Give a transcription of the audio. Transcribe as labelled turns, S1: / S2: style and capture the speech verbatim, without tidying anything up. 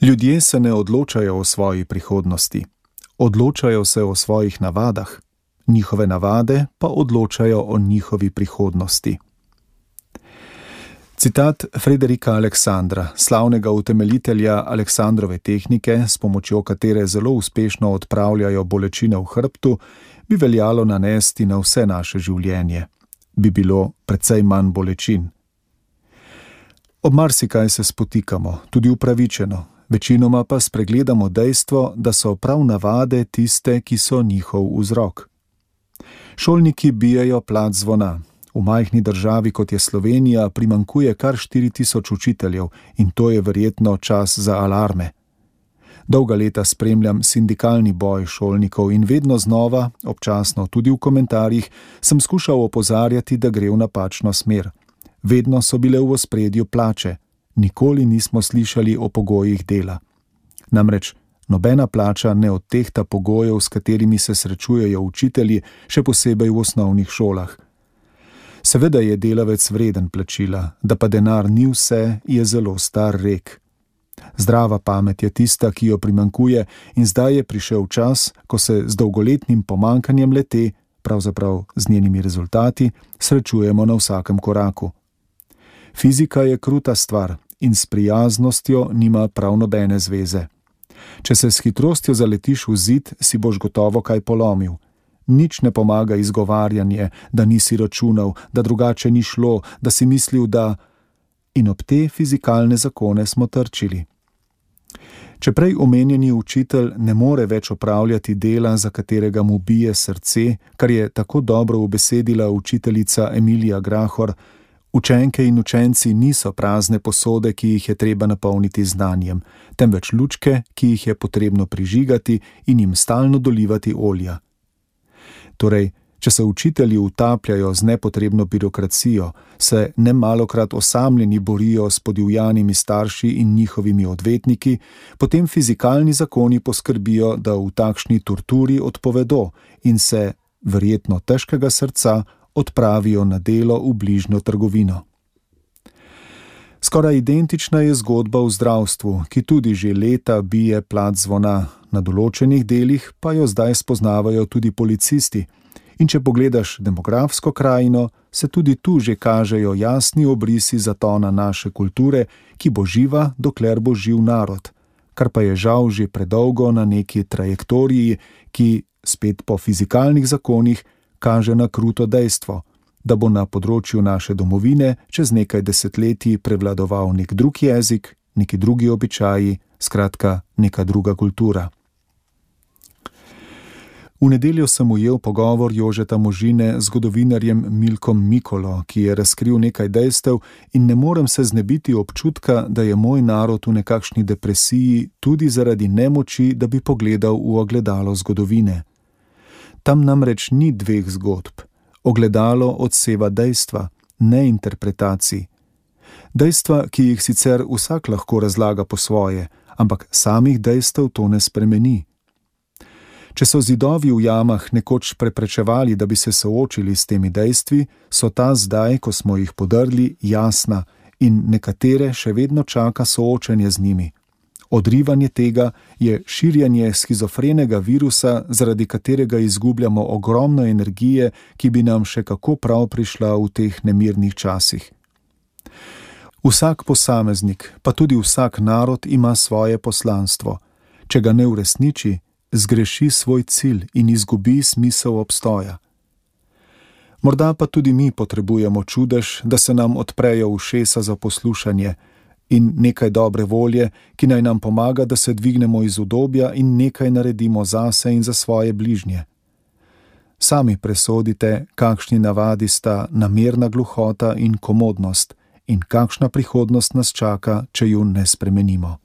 S1: Ljudje se ne odločajo o svoji prihodnosti, odločajo se o svojih navadah, njihove navade pa odločajo o njihovi prihodnosti. Citat Frederika Aleksandra, slavnega utemeljitelja Aleksandrove tehnike, s pomočjo katere zelo uspešno odpravljajo bolečine v hrbtu, bi veljalo nanesti na vse naše življenje. Bi bilo precej manj bolečin. Ob marsikaj se spotikamo, tudi upravičeno, večinoma pa spregledamo dejstvo, da so prav navade tiste, ki so njihov vzrok. Šolniki bijejo plat zvona. V majhni državi, kot je Slovenija, primanjkuje kar štiri tisoč učiteljev in to je verjetno čas za alarme. Dolga leta spremljam sindikalni boj šolnikov in vedno znova, občasno tudi v komentarjih, sem skušal opozarjati, da gre v napačno smer. Vedno so bile v ospredju plače, nikoli nismo slišali o pogojih dela. Namreč nobena plača ne odtehta pogojev, s katerimi se srečujejo učitelji, še posebej v osnovnih šolah. Seveda je delavec vreden plačila, da pa denar ni vse, je zelo star rek. Zdrava pamet je tista, ki jo primanjkuje, in zdaj je prišel čas, ko se z dolgoletnim pomanjkanjem le-te, pravzaprav z njenimi rezultati, srečujemo na vsakem koraku. Fizika je kruta stvar in s prijaznostjo nima prav nobene zveze. Če se s hitrostjo zaletiš v zid, si boš gotovo kaj polomil. Nič ne pomaga izgovarjanje, da nisi računal, da drugače ni šlo, da si mislil, da... In ob te fizikalne zakone smo trčili. Če prej omenjeni učitelj ne more več opravljati dela, za katerega mu bije srce, kar je tako dobro ubesedila učiteljica Emilija Grahor, učenke in učenci niso prazne posode, ki jih je treba napolniti znanjem, temveč lučke, ki jih je potrebno prižigati in jim stalno dolivati olja. Torej, če se učitelji utapljajo z nepotrebno birokracijo, se nemalokrat osamljeni borijo s podivjanimi starši in njihovimi odvetniki, potem fizikalni zakoni poskrbijo, da v takšni torturi odpovedo in se, verjetno težkega srca, odpravijo na delo v bližnjo trgovino. Skoraj identična je zgodba v zdravstvu, ki tudi že leta bije plat zvona, na določenih delih pa jo zdaj spoznavajo tudi policisti. In če pogledaš demografsko krajino, se tudi tu že kažejo jasni obrisi zatona naše kulture, ki bo živa, dokler bo živ narod, kar pa je žal že predolgo na neki trajektoriji, ki, spet po fizikalnih zakonih, kaže na kruto dejstvo, da bo na področju naše domovine čez nekaj desetletij prevladoval nek drug jezik, neki drugi običaji, skratka neka druga kultura. V nedeljo sem ujel pogovor Jožeta Možine z zgodovinarjem Milkom Mikolo, ki je razkril nekaj dejstev in ne morem se znebiti občutka, da je moj narod v nekakšni depresiji tudi zaradi nemoči, da bi pogledal v ogledalo zgodovine. Tam namreč ni dveh zgodb. Ogledalo odseva dejstva, ne interpretacij. Dejstva, ki jih sicer vsak lahko razlaga po svoje, ampak samih dejstev to ne spremeni. Če so zidovi v jamah nekoč preprečevali, da bi se soočili s temi dejstvi, so ta zdaj, ko smo jih podrli, jasna in nekatere še vedno čaka soočenje z njimi. Odrivanje tega je širjenje shizofrenega virusa, zaradi katerega izgubljamo ogromno energije, ki bi nam še kako prav prišla v teh nemirnih časih. Vsak posameznik, pa tudi vsak narod ima svoje poslanstvo. Če ga ne uresniči, zgreši svoj cilj in izgubi smisel obstoja. Morda pa tudi mi potrebujemo čudež, da se nam odprejo ušesa za poslušanje in nekaj dobre volje, ki naj nam pomaga, da se dvignemo iz udobja in nekaj naredimo zase in za svoje bližnje. Sami presodite, kakšni navadi sta namerna gluhota in komodnost in kakšna prihodnost nas čaka, če ju ne spremenimo.